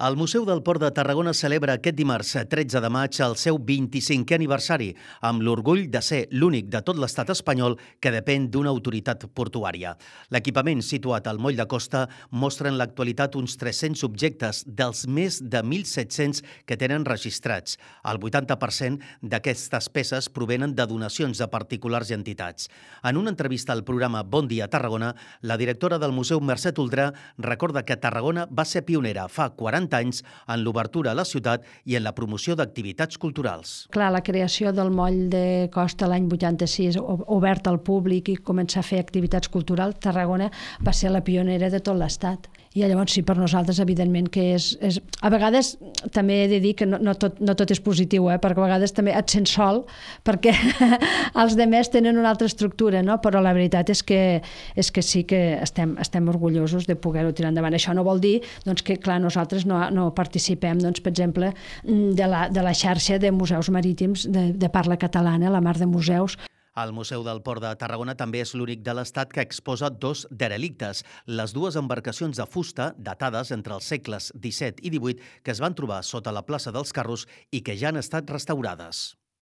El Museu del Port de Tarragona celebra aquest dimarts 13 de maig el seu 25è aniversari, amb l'orgull de ser l'únic de tot l'estat espanyol que depèn d'una autoritat portuària. L'equipament situat al moll de costa mostra en l'actualitat uns 300 objectes dels més de 1.700 que tenen registrats. El 80% d'aquestes peces provenen de donacions de particulars i entitats. En una entrevista al programa Bon dia Tarragona, la directora del Museu, Mercè Toldrà, recorda que Tarragona va ser pionera fa 40 anys en l'obertura a la ciutat i en la promoció d'activitats culturals. Clar, la creació del moll de costa l'any 86, obert al públic i començar a fer activitats culturals, Tarragona va ser la pionera de tot l'estat. I llavors sí, per nosaltres, evidentment, que és... A vegades també he de dir que no tot és positiu, perquè a vegades també et sents sol, perquè els demés tenen una altra estructura, no? Però la veritat és que sí que estem orgullosos de poder-ho tirar endavant. Això no vol dir doncs, que, clar, nosaltres no participem, doncs, per exemple, de la xarxa de museus marítims de parla catalana, la Mar de Museus. El Museu del Port de Tarragona també és l'únic de l'Estat que exposa dos derelictes, les dues embarcacions de fusta datades entre els segles XVII i XVIII que es van trobar sota la plaça dels Carros i que ja han estat restaurades.